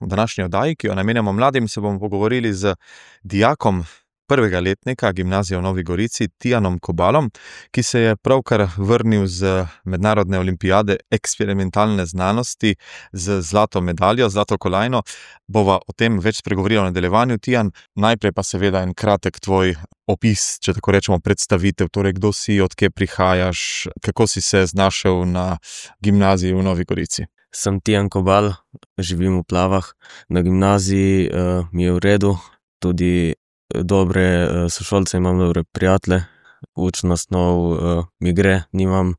V današnji oddaji, ki jo namenjamo mladim, se bomo pogovorili z dijakom prvega letnika gimnazije v Novi Gorici, Tijanom Kobalom, ki se je pravkar vrnil z mednarodne olimpijade eksperimentalne znanosti z zlato medaljo, zlato kolajno. Bova o tem več spregovorila v nadaljevanju. Tijan, najprej pa seveda en kratek tvoj opis, če tako rečemo, predstavitev. Torej, kdo si, od kje prihajaš, kako si se znašel na gimnaziji v Novi Gorici? Sem Tijan Kobal, živim v Plavah. Na gimnaziji mi je v redu, tudi dobre sošolce, imam dobre prijatelje, učna snov mi gre, nimam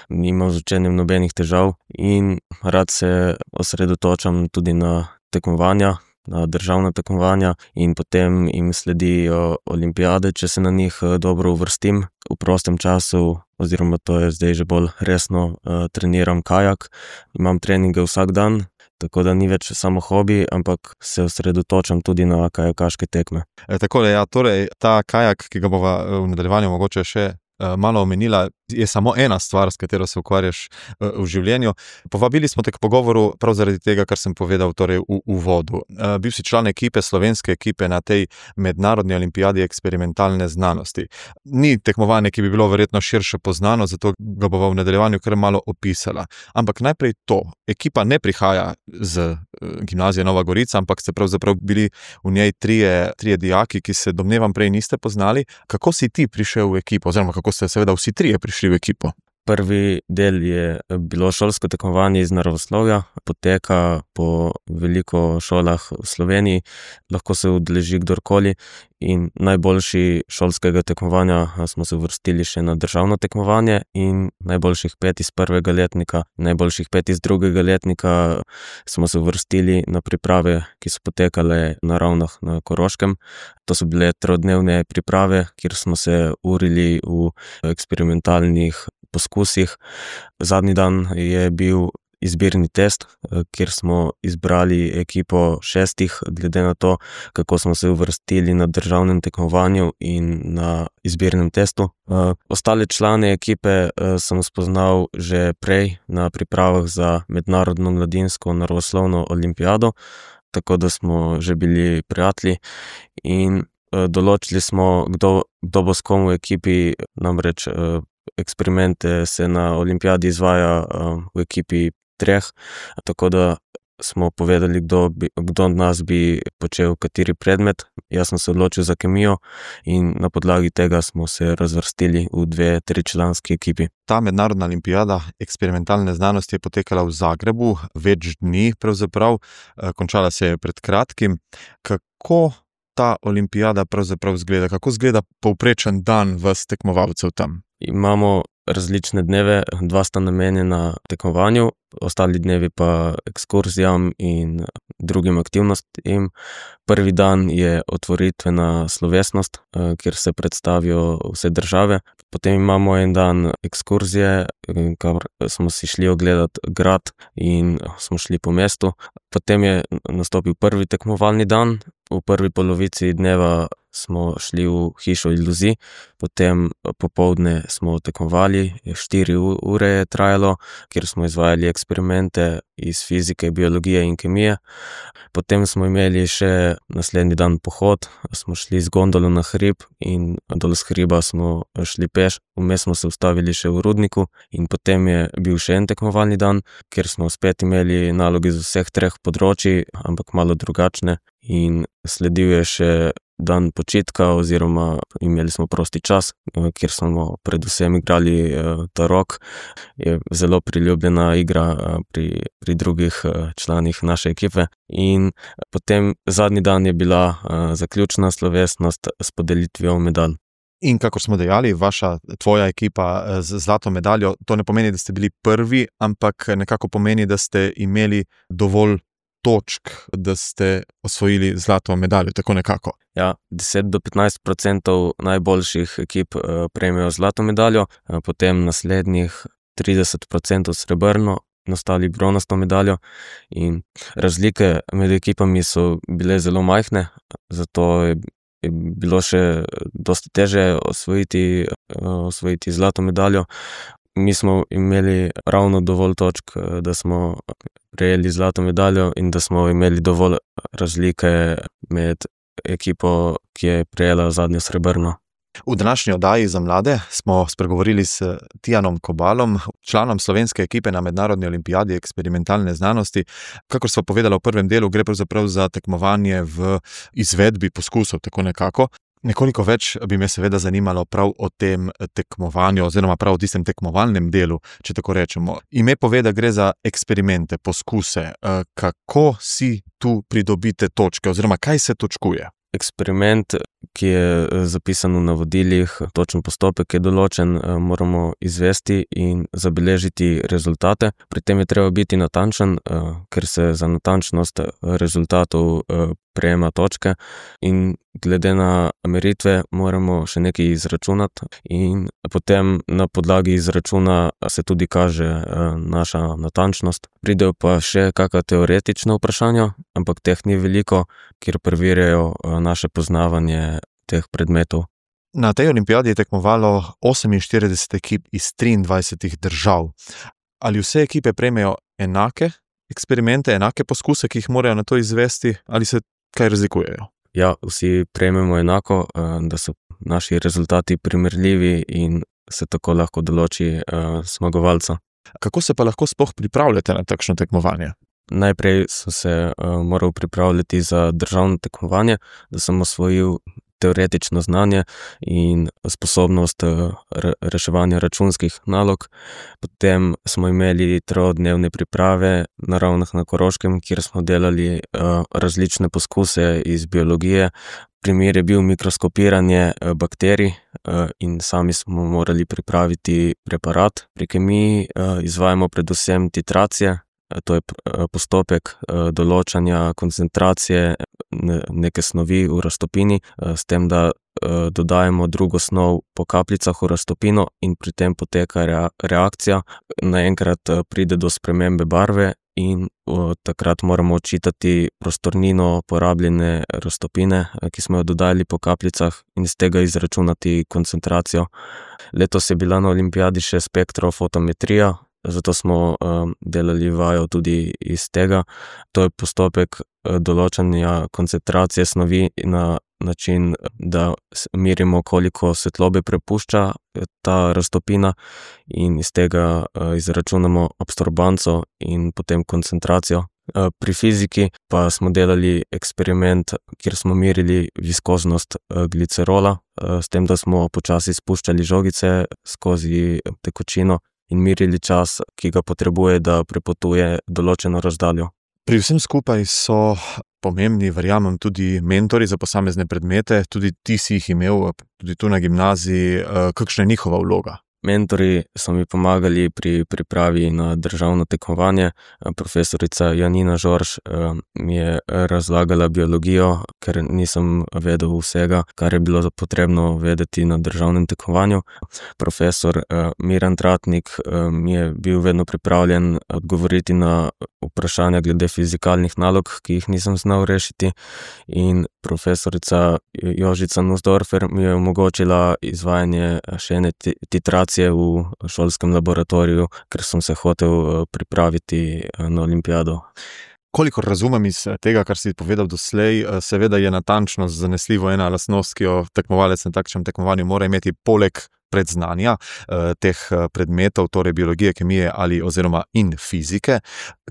z učenjem nobenih težav in rad se osredotočam tudi na tekmovanja, na državna tekmovanja in potem jim sledijo olimpijade, če se na njih dobro uvrstim. V prostem času, oziroma to je zdaj že bolj resno, treniram kajak, imam treninge vsak dan, tako da ni več samo hobi, ampak se osredotočam tudi na kajakaške tekme. Takole, ja, torej ta kajak, ki ga bova v nadaljevanju mogoče še malo omenila, je samo ena stvar, s katero se ukvarjaš v življenju. Povabili smo te k pogovoru prav zaradi tega, kar sem povedal torej v uvodu. Bil si član ekipe, slovenske ekipe na tej mednarodni olimpijadi eksperimentalne znanosti. Ni tekmovanje, ki bi bilo verjetno širše poznano, zato ga bova v nadaljevanju kar malo opisala. Ampak najprej to, ekipa ne prihaja z gimnazije Nova Gorica, ampak ste pravzaprav bili v njej trije dijaki, ki se domnevam prej niste poznali. Kako si ti prišel v ekipo, oziroma kako ste seveda vsi trije prišli v ekipo? Prvi del je bilo šolsko tekmovanje iz naravoslovja, poteka po veliko šolah v Sloveniji, lahko se udeleži kdorkoli in najboljši šolskega tekmovanja smo se uvrstili še na državno tekmovanje in najboljših 5 iz prvega letnika, najboljših 5 iz drugega letnika smo se uvrstili na priprave, ki so potekale na Ravnah na Koroškem. To so bile 3-dnevne priprave, kjer smo se urili v eksperimentalnih poskusih. Zadnji dan je bil izbirni test, kjer smo izbrali ekipo 6, glede na to, kako smo se uvrstili na državnem tekmovanju in na izbirnem testu. Ostale člane ekipe sem spoznal že prej na pripravah za mednarodno mladinsko naravoslovno olimpijado, tako da smo že bili prijatelji in določili smo, kdo bo s kom v ekipi, namreč eksperimente se na olimpijadi izvaja v ekipi 3, tako da smo povedali, kdo od nas bi počel kateri predmet. Jaz sem se odločil za kemijo in na podlagi tega smo se razvrstili v 2-3-članski ekipi. Ta mednarodna olimpijada eksperimentalne znanosti je potekala v Zagrebu več dni pravzaprav, končala se je pred kratkim. Kako ta olimpijada pravzaprav izgleda? Kako izgleda povprečen dan vas tekmovalcev tam? Imamo različne dneve, 2 sta namenjena tekmovanju, ostali dnevi pa ekskurzijam in drugim aktivnostim. Prvi dan je otvoritvena slovesnost, kjer se predstavijo vse države. Potem imamo en dan ekskurzije, kamor smo si šli ogledati grad in smo šli po mestu. Potem je nastopil prvi tekmovalni dan. V prvi polovici dneva smo šli v hišo iluzij, potem popoldne smo tekmovali, 4 ure je trajalo, kjer smo izvajali eksperimente iz fizike, biologije in kemije. Potem smo imeli še naslednji dan pohod, smo šli z gondolo na hrib in dol z hriba smo šli peš, vmes smo se ustavili še v rudniku in potem je bil še en tekmovalni dan, kjer smo spet imeli naloge z vseh 3 področij, ampak malo drugačne, in sledil je še dan počitka oziroma imeli smo prosti čas, kjer smo predvsem igrali tarok. Je zelo priljubljena igra pri drugih članih naše ekipe. In potem zadnji dan je bila zaključna slovesnost s podelitvijo medalj. In kakor smo dejali, tvoja ekipa z zlato medaljo, to ne pomeni, da ste bili prvi, ampak nekako pomeni, da ste imeli dovolj točk, da ste osvojili zlato medaljo, tako nekako. Ja, 10-15% najboljših ekip prejmejo zlato medaljo, potem naslednjih 30% srebrno in ostali bronasto medaljo. In razlike med ekipami so bile zelo majhne, zato je bilo še dosti teže osvojiti zlato medaljo. Mi smo imeli ravno dovolj točk, da smo prejeli zlato medaljo in da smo imeli dovolj razlike med ekipo, ki je prejela zadnjo srebrno. V današnji oddaji za mlade smo spregovorili s Tijanom Kobalom, članom slovenske ekipe na Mednarodni olimpijadi eksperimentalne znanosti. Kakor sva povedala v prvem delu, gre pravzaprav za tekmovanje v izvedbi poskusov, tako nekako. Nekoliko več bi me seveda zanimalo prav o tem tekmovanju oziroma prav o tistem tekmovalnem delu, če tako rečemo. Ime pove, da gre za eksperimente, poskuse. Kako si tu pridobite točke oziroma kaj se točkuje? Eksperiment, ki je zapisan v navodilih, točen postopek je določen, moramo izvesti in zabeležiti rezultate. Pri tem je treba biti natančen, ker se za natančnost rezultatov prejema točke in glede na meritve moramo še nekaj izračunati in potem na podlagi izračuna se tudi kaže naša natančnost. Pridejo pa še kakšna teoretična vprašanja, ampak teh ni veliko, kjer preverjajo naše poznavanje teh predmetov. Na tej olimpijadi je tekmovalo 48 ekip iz 23 držav. Ali vse ekipe prejmejo enake eksperimente, enake poskuse, ki jih morajo na to izvesti, ali se kaj razlikujejo? Ja, vsi prejmemo enako, da so naši rezultati primerljivi in se tako lahko določi zmagovalca. Kako se pa lahko sploh pripravljate na takšno tekmovanje? Najprej sem se moral pripravljati za državno tekmovanje, da sem osvojil teoretično znanje in sposobnost reševanja računskih nalog. Potem smo imeli 3-dnevne priprave na Ravnah na Koroškem, kjer smo delali različne poskuse iz biologije. Primer je bil mikroskopiranje bakterij in sami smo morali pripraviti preparat. Pri kemiji izvajamo predvsem titracije. To je postopek določanja koncentracije neke snovi v raztopini, s tem, da dodajemo drugo snov po kapljicah v raztopino in pri tem poteka reakcija. Naenkrat pride do spremembe barve in takrat moramo odčitati prostornino porabljene raztopine, ki smo jo dodali po kapljicah in iz tega izračunati koncentracijo. Letos je bila na olimpijadi še spektrofotometrija, zato smo delali vajo tudi iz tega. To je postopek določanja koncentracije snovi na način, da merimo, koliko svetlobe prepušča ta raztopina in iz tega izračunamo absorbanco in potem koncentracijo. Pri fiziki pa smo delali eksperiment, kjer smo merili viskoznost glicerola, s tem, da smo počasi spuščali žogice skozi tekočino in merili čas, ki ga potrebuje, da prepotuje določeno razdaljo. Pri vsem skupaj so pomembni, verjamem, tudi mentori za posamezne predmete, tudi ti si jih imel, tudi tu na gimnaziji. Kakšna je njihova vloga? Mentori so mi pomagali pri pripravi na državno tekmovanje. Profesorica Janina Žorž mi je razlagala biologijo, ker nisem vedel vsega, kar je bilo potrebno vedeti na državnem tekmovanju. Profesor Miran Tratnik mi je bil vedno pripravljen odgovoriti na vprašanja glede fizikalnih nalog, ki jih nisem znal rešiti. In profesorica Jožica Nussdorfer mi je omogočila izvajanje še ene titracije v šolskem laboratoriju, ker sem se hotel pripraviti na olimpijado. Kolikor razumem iz tega, kar si povedal doslej, seveda je natančnost zanesljivo ena lastnost, ki jo tekmovalec na takšnem tekmovanju mora imeti poleg predznanja teh predmetov, torej biologije, kemije ali oziroma in fizike.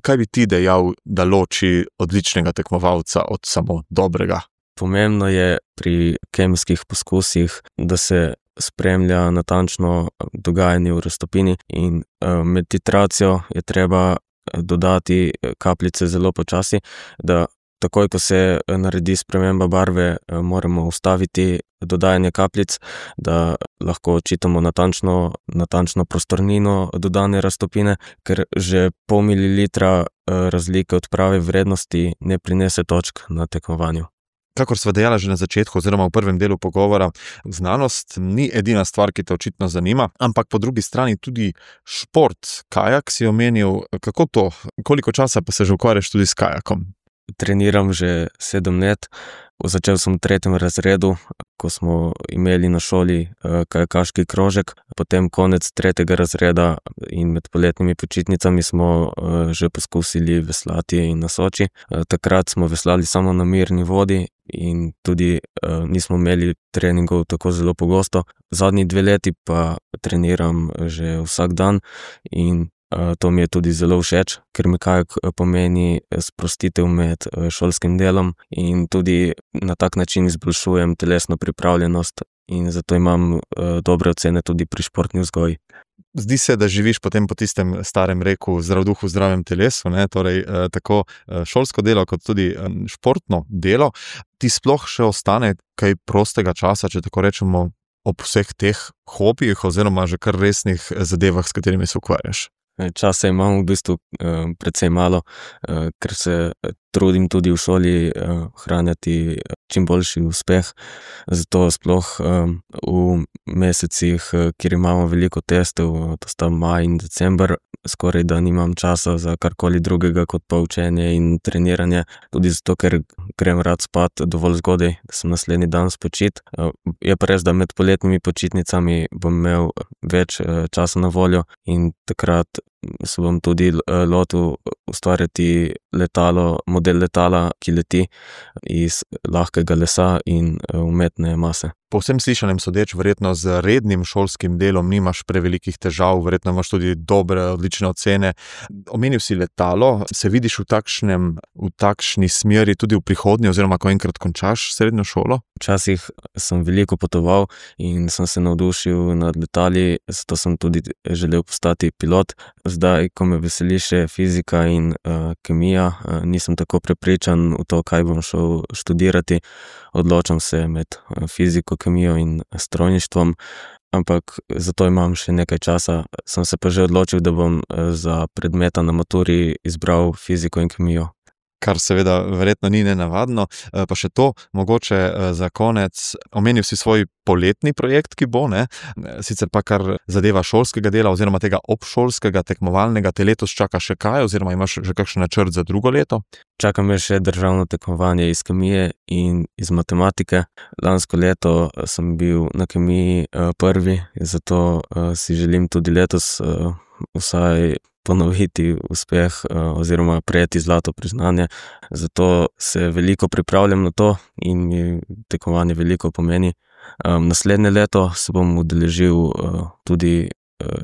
Kaj bi ti dejal, da loči odličnega tekmovalca od samo dobrega? Pomembno je pri kemijskih poskusih, da se spremlja natančno dogajanje v raztopini in med titracijo je treba dodati kapljice zelo počasi, da takoj, ko se naredi sprememba barve, moramo ustaviti dodajanje kapljic, da lahko odčitamo natančno prostornino dodane raztopine, ker že pol mililitra razlike od prave vrednosti ne prinese točk na tekmovanju. Kakor sva dejala že na začetku oziroma v prvem delu pogovora, znanost ni edina stvar, ki te očitno zanima, ampak po drugi strani tudi šport. Kajak si omenil, kako to? Koliko časa pa se že ukvarjaš tudi s kajakom? Treniram že 7 let, Začel sem v 3. razredu, ko smo imeli na šoli kajakaški krožek, potem konec 3. razreda in med poletnimi počitnicami smo že poskusili veslati in na Soči. Takrat smo veslali samo na mirni vodi in tudi nismo imeli treningov tako zelo pogosto. Zadnji 2 leti pa treniram že vsak dan in to mi je tudi zelo všeč, ker mi kajak pomeni sprostitev med šolskim delom in tudi na tak način izboljšujem telesno pripravljenost in zato imam dobre ocene tudi pri športni vzgoji. Zdi se, da živiš potem po tistem starem reku zdrav duh v zdravem telesu, ne? Torej tako šolsko delo kot tudi športno delo. Ti sploh še ostane kaj prostega časa, če tako rečemo, ob vseh teh hobijih oziroma že kar resnih zadevah, s katerimi se ukvarjaš? Časa imam v bistvu precej malo, ker se trudim tudi v šoli ohranjati čim boljši uspeh. Zato sploh v mesecih, kjer imamo veliko testov, to sta maj in december, skoraj da nimam časa za karkoli drugega kot pa učenje in treniranje. Tudi zato, ker grem rad spat dovolj zgodaj, da sem naslednji dan spočit. Je pa res, da med poletnimi počitnicami bom imel več časa na voljo in takrat se bom tudi lotil ustvarjati model letala, ki leti iz lahkega lesa in umetne mase. Po vsem slišanem sodeč, verjetno z rednim šolskim delom nimaš prevelikih težav, verjetno imaš tudi dobre, odlične ocene. Omenil si letalo, se vidiš v takšni smeri tudi v prihodnje oziroma ko enkrat končaš srednjo šolo? Včasih sem veliko potoval in sem se navdušil nad letali, zato sem tudi želel postati pilot. Zdaj, ko me veseli še fizika in kemija, nisem tako prepričan v to, kaj bom šel študirati. Odločam se med fiziko, kemijo in strojništvom, ampak zato imam še nekaj časa. Sem se pa že odločil, da bom za predmeta na maturi izbral fiziko in kemijo. Kar seveda verjetno ni nenavadno. Pa še to, mogoče za konec, omenil si svoj poletni projekt, ki bo, ne? Sicer pa kar zadeva šolskega dela oziroma tega obšolskega tekmovalnega, te letos čaka še kaj oziroma imaš že kakšen načrt za drugo leto? Čaka me še državno tekmovanje iz kemije in iz matematike. Lansko leto sem bil na kemiji prvi, zato si želim tudi letos vsaj ponoviti uspeh oziroma prejeti zlato priznanje. Zato se veliko pripravljam na to in mi tekmovanje veliko pomeni. Naslednje leto se bom udeležil tudi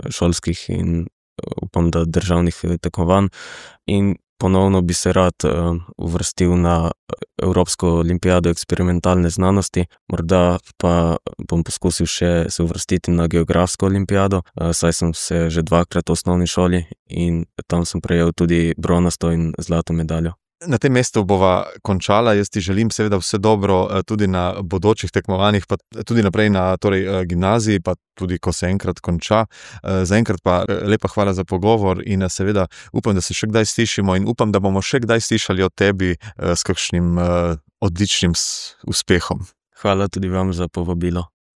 šolskih in upam, da državnih tekmovanj in ponovno bi se rad uvrstil na Evropsko olimpijado eksperimentalne znanosti. Morda pa bom poskusil še se uvrstiti na geografsko olimpijado, saj sem se že 2-krat v osnovni šoli in tam sem prejel tudi bronasto in zlato medaljo. Na tem mestu bova končala. Jaz ti želim seveda vse dobro tudi na bodočih tekmovanjih, pa tudi naprej na gimnaziji, pa tudi ko se enkrat konča. Zaenkrat pa lepa hvala za pogovor in seveda upam, da se še kdaj slišimo in upam, da bomo še kdaj slišali o tebi s kakšnim odličnim uspehom. Hvala tudi vam za povabilo.